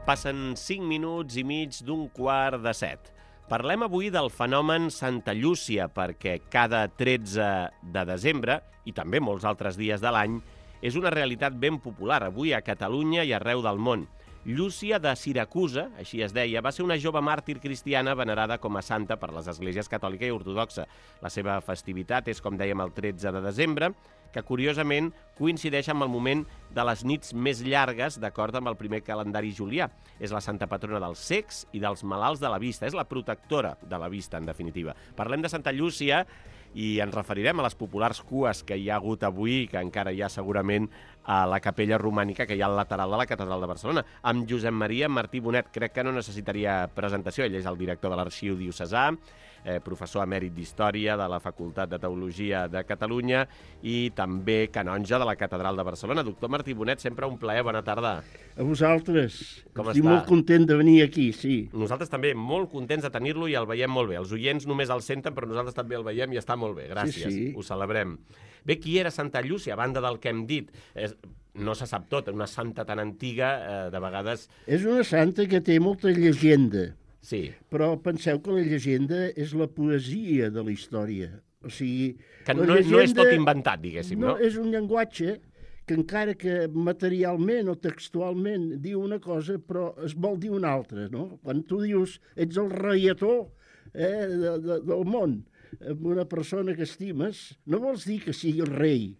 Passen 5 minuts i mig d'15:45. Parlem avui del fenomen Santa Llúcia, perquè cada 13 de desembre, i també molts altres dies de l'any, és una realitat ben popular avui a Catalunya i arreu del món. Llúcia de Siracusa, així es deia, va ser una jove màrtir cristiana venerada com a santa per les esglésies catòlica i ortodoxa. La seva festivitat és, com dèiem, el 13 de desembre, que curiosament coincideix amb el moment de les nits més llargues, d'acord amb el primer calendari julià. És la santa patrona dels cecs i dels malalts de la vista. És la protectora de la vista, en definitiva. Parlem de Santa Llúcia i ens referirem a les populars cues que hi ha hagut avui, que encara hi ha segurament a la capella romànica que hi ha al lateral de la Catedral de Barcelona, amb Josep Maria Martí Bonet. Crec que no necessitaria presentació. Ell és el director de l'Arxiu Diocesà, professor emèrit d'Història de la Facultat de Teologia de Catalunya i també canonge de la Catedral de Barcelona. Doctor Martí Bonet, sempre un plaer. Bona tarda. A vosaltres. Com Estic està? molt content de venir aquí, sí. Nosaltres també molt contents de tenir-lo i el veiem molt bé. Els oients només el senten, però nosaltres també el veiem i està molt bé. Gràcies, Sí. Ho celebrem. Bé, qui era Santa Llúcia, a banda del que hem dit? No se sap tot, una santa tan antiga, de vegades... És una santa que té molta llegenda, Sí, però penseu que la llegenda és la poesia de la història. O sigui, que la no és llegenda tot inventat, diguéssim, no? És un llenguatge que encara que materialment o textualment diu una cosa, però es vol dir una altra, no? Quan tu dius ets el reietó del món, amb una persona que estimes, no vols dir que sigui el rei,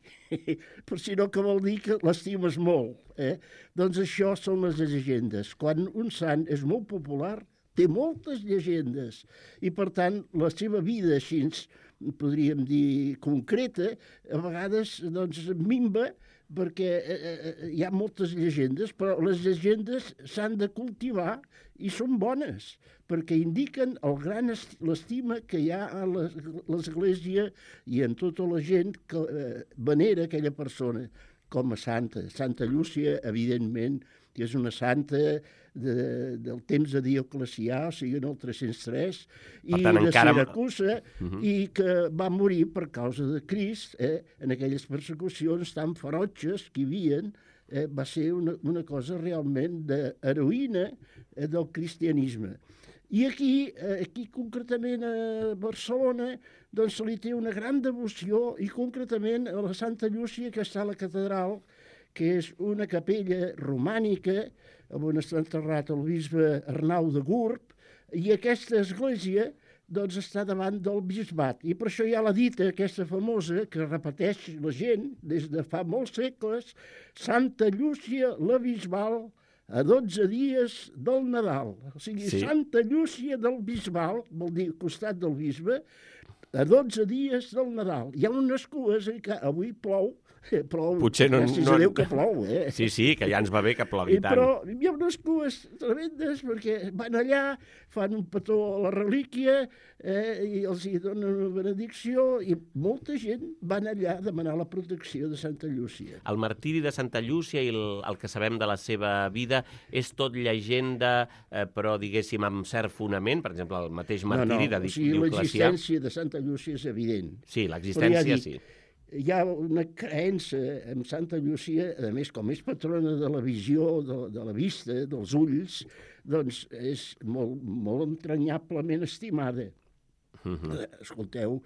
però sinó que vol dir que l'estimes molt. Doncs això són les llegendes. Quan un sant és molt popular, té moltes llegendes i, per tant, la seva vida així, podríem dir, concreta, a vegades doncs, minva perquè hi ha moltes llegendes, però les llegendes s'han de cultivar i són bones, perquè indiquen l'estima que hi ha a l'Església i en tota la gent que venera aquella persona com a santa. Santa Llúcia, evidentment, que és una santa del temps de Dioclecià, o sigui, en el 303, i de Siracusa, i que va morir per causa de Crist, en aquelles persecucions tan ferotges que hi havia. Va ser una cosa realment d'heroïna del cristianisme. I aquí concretament a Barcelona, doncs se li té una gran devoció, i concretament a la Santa Llúcia, que està a la catedral, que és una capella romànica, on està enterrat el bisbe Arnau de Gurb, i aquesta església doncs, està davant del bisbat. I per això hi ha la dita aquesta famosa que repeteix la gent des de fa molts segles: Santa Llúcia la Bisbal a 12 dies del Nadal. O sigui, sí. Santa Llúcia del Bisbal, vol dir costat del bisbe, a 12 dies del Nadal. Hi ha unes cues que avui plou, potser no, gràcies a Déu que plou. Sí, que ja ens va bé que plogui tant. Però hi ha unes cues tremendes perquè van allà, fan un petó a la relíquia i els hi donen una benedicció, i molta gent van allà a demanar la protecció de Santa Llúcia. El martiri de Santa Llúcia i el que sabem de la seva vida és tot llegenda, però diguéssim amb cert fonament, per exemple, el mateix martiri de Dioclecià. L'existència de Santa Llúcia és evident. Sí, l'existència sí. Hi ha una creença en Santa Llúcia, a més, com és patrona de la visió, de la vista, dels ulls, doncs és molt entranyablement estimada. Escolteu,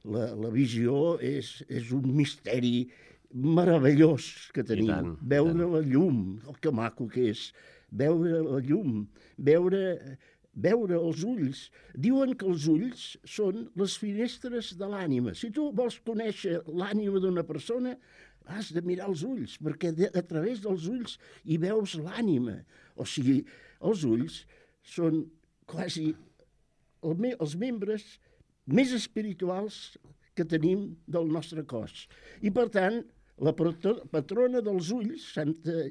la visió és un misteri meravellós que tenim. Veure la llum, que maco que és, veure la llum, veure els ulls. Diuen que els ulls són les finestres de l'ànima. Si tu vols conèixer l'ànima d'una persona, has de mirar els ulls, perquè a través dels ulls hi veus l'ànima. O sigui, els ulls són quasi els membres més espirituals que tenim del nostre cos. I, per tant, la patrona dels ulls, Santa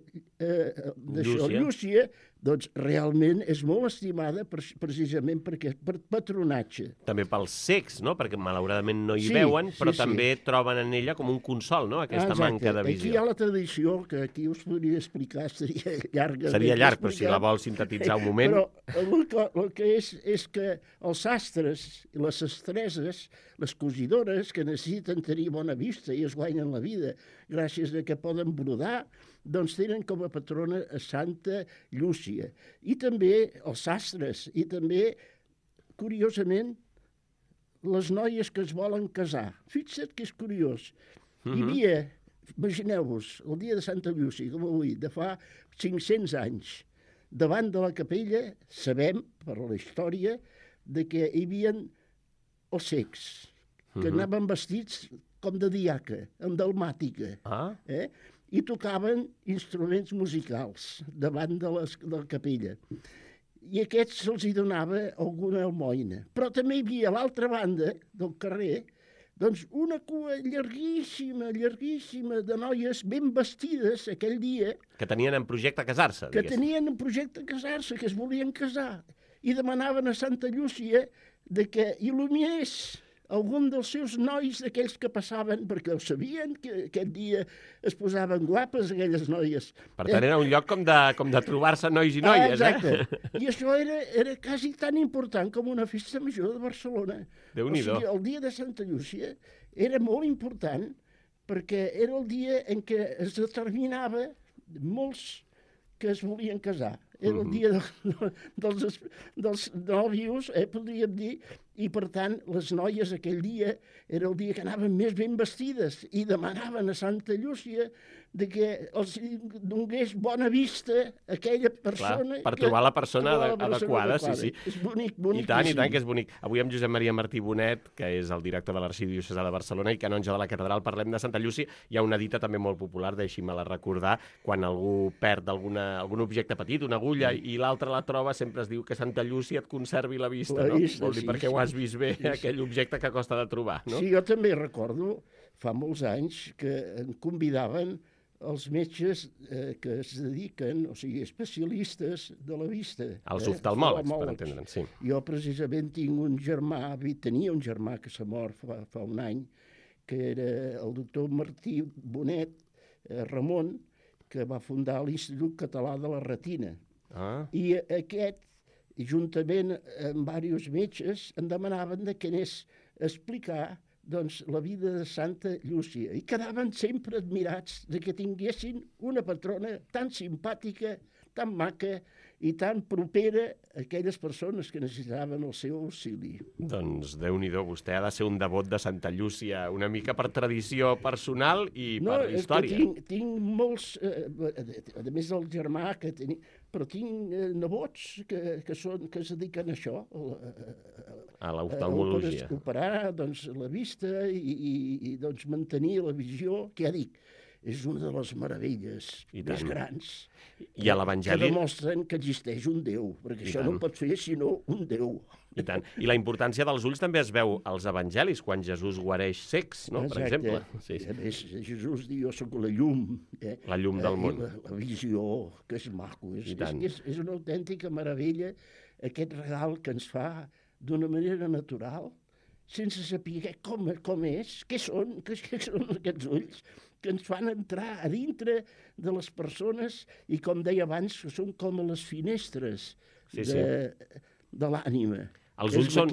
Llúcia, doncs realment és molt estimada precisament perquè per patronatge. També pels cecs, no? Perquè malauradament no hi veuen, però també troben en ella com un consol, no? Aquesta manca de visió. Aquí hi ha la tradició, que aquí us podria explicar, seria llarga. Seria llarg, però si la vols sintetitzar un moment... Però el que és que els sastres i les sastreses, les cosidores, que necessiten tenir bona vista i es guanyen la vida gràcies a que poden brodar, doncs tenen com a patrona a Santa Llúcia. Llúcia. I també els sastres, i també, curiosament, les noies que es volen casar. Fixa't que és curiós. Hi havia, imagineu-vos, el dia de Santa Llúcia, com avui, de fa 500 anys, davant de la capella, sabem, per la història, de que hi havia els cecs, que anaven vestits com de diaca, amb dalmàtica, i tocaven instruments musicals davant de la capella. I a aquests se'ls donava alguna almoina. Però també hi havia a l'altra banda del carrer doncs una cua llarguíssima, llarguíssima de noies ben vestides aquell dia. Que tenien en projecte casar-se, Que tenien en projecte casar-se, que es volien casar. I demanaven a Santa Llúcia de que il·luminés algun dels seus nois, d'aquells que passaven, perquè ho sabien, que aquest dia es posaven guapes, aquelles noies. Per tant, era un lloc com de trobar-se nois i noies, exacte. I això era quasi tan important com una festa major de Barcelona. Déu-n'hi-do. O sigui, el dia de Santa Llúcia era molt important perquè era el dia en què es determinava molts que es volien casar. Era el dia dels nòvios, podríem dir, i per tant les noies aquell dia era el dia que anaven més ben vestides i demanaven a Santa Llúcia de que els donés bona vista a aquella persona. Clar, per trobar la persona adequada, sí. És bonic, bonic. I tant, que és bonic. Avui amb Josep Maria Martí Bonet, que és el director de l'Arxidiocesà de Barcelona i canonge de la catedral, parlem de Santa Llúcia. Hi ha una dita també molt popular, deixi-me-la recordar, quan algú perd algun objecte petit, una agulla, i l'altre la troba, sempre es diu que Santa Llúcia et conservi la vista, no? Vol dir, perquè ho has vist bé, aquell objecte que costa de trobar, no? Sí, jo també recordo, fa molts anys, que em convidaven els metges que es dediquen, o sigui, especialistes de la vista. Els oftalmòlegs, per entendre'ns, sí. Jo precisament tenia un germà que s'ha mort fa un any, que era el doctor Martí Bonet, Ramon, que va fundar l'Institut Català de la Retina. I aquest, juntament amb diversos metges, em demanaven que anés a explicar la vida de Santa Llúcia. I quedaven sempre admirats de que tinguessin una patrona tan simpàtica, tan maca i tan propera a aquelles persones que necessitaven el seu auxili. Doncs Déu-n'hi-do, vostè ha de ser un devot de Santa Llúcia, una mica per tradició personal i per història. No, tinc molts, a més del germà que tenia, però tinc nebots que es dediquen a això, a l'oftalmologia. A operar la vista i mantenir la visió, que ja dic, és una de les meravelles més grans I a l'Evangeli... que demostren que existeix un Déu, perquè això no pot ser sinó un Déu. I tant. I la importància dels ulls també es veu als evangelis, quan Jesús guareix cecs, no? Per exemple. Sí. A més, Jesús diu, jo soc la llum. La llum del món. La visió, que és maco. És una autèntica meravella aquest regal que ens fa d'una manera natural, sense saber com és, què són aquests ulls, que ens fan entrar a dintre de les persones i, com deia abans, que són com les finestres de l'ànima. Els ulls són...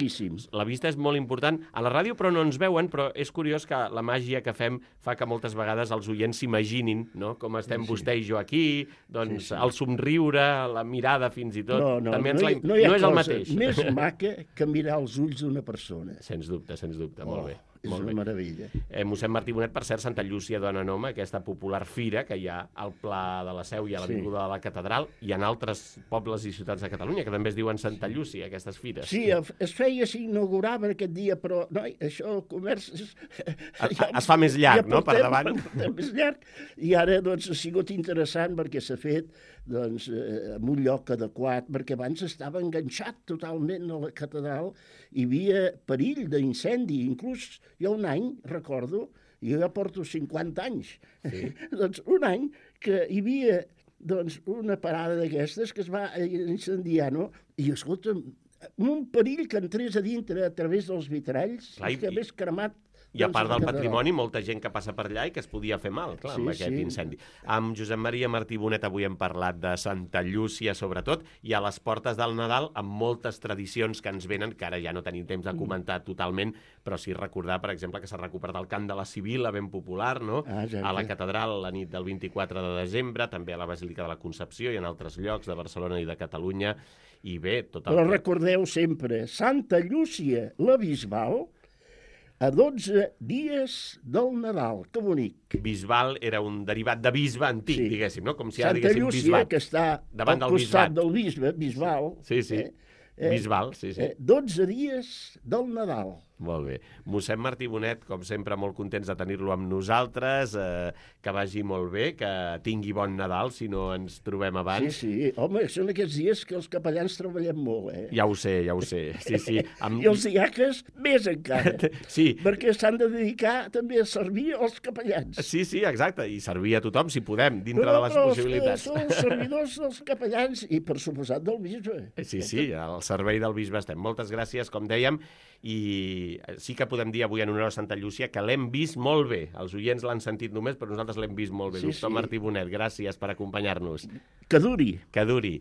La vista és molt important. A la ràdio, però no ens veuen, però és curiós que la màgia que fem fa que moltes vegades els oients s'imaginin, no?, com estem vostè i jo aquí, doncs el somriure, la mirada fins i tot... No és el mateix. Més maca que mirar els ulls d'una persona. Sens dubte, molt bé. És una meravella. Mossèn Martí Bonet, per cert, Santa Llúcia dona nom a aquesta popular fira que hi ha al Pla de la Seu i a l'Avinguda de la Catedral i en altres pobles i ciutats de Catalunya, que també es diuen Santa Llúcia, aquestes fires. Sí, es feia, s'inaugurava aquest dia, però, noi, això, el comerç... Es fa més llarg, no?, per davant. Més llarg, i ara, doncs, ha sigut interessant perquè s'ha fet, doncs, en un lloc adequat, perquè abans estava enganxat totalment a la catedral, hi havia perill d'incendi, inclús hi ha un any, recordo, jo ja porto 50 anys, doncs un any que hi havia una parada d'aquestes que es va incendiar, no? I, escolta'm, un perill que entrés a dintre a través dels vitralls, que hagués cremat I a part del patrimoni, molta gent que passa per allà i que es podia fer mal, clar, amb aquest incendi. Amb Josep Maria Martí Bonet avui hem parlat de Santa Llúcia, sobretot, i a les portes del Nadal, amb moltes tradicions que ens venen, que ara ja no tenim temps de comentar totalment, però sí recordar, per exemple, que s'ha recuperat el cant de la Sibila, ben popular, no? A la catedral la nit del 24 de desembre, també a la Basílica de la Concepció i en altres llocs de Barcelona i de Catalunya, i bé, tot el... Però recordeu sempre, Santa Llúcia, la Bisbal, a 12 dies del Nadal. Que bonic. Bisbal era un derivat de bisbe antic, diguéssim, no? Com si ara Santa diguéssim Llúcia, bisbat. que està al costat del bisbe, Bisbal. Sí. Bisbal, sí. 12 dies del Nadal. Molt bé. Mossèn Martí Bonet, com sempre, molt contents de tenir-lo amb nosaltres, que vagi molt bé, que tingui bon Nadal, si no ens trobem abans. Sí. Home, són aquests dies que els capellans treballem molt, Ja ho sé. Sí. I els diaques més encara. Sí. Perquè s'han de dedicar també a servir els capellans. Sí, exacte, i servir a tothom, si podem, dintre de les possibilitats. Són els servidors dels capellans i, per suposat, del bisbe. Sí, al servei del bisbe estem. Moltes gràcies, com dèiem, i sí que podem dir avui en honor a Santa Llúcia que l'hem vist molt bé. Els oients l'han sentit només, però nosaltres l'hem vist molt bé. Doctor Martí Bonet, gràcies per acompanyar-nos. Que duri. Que duri.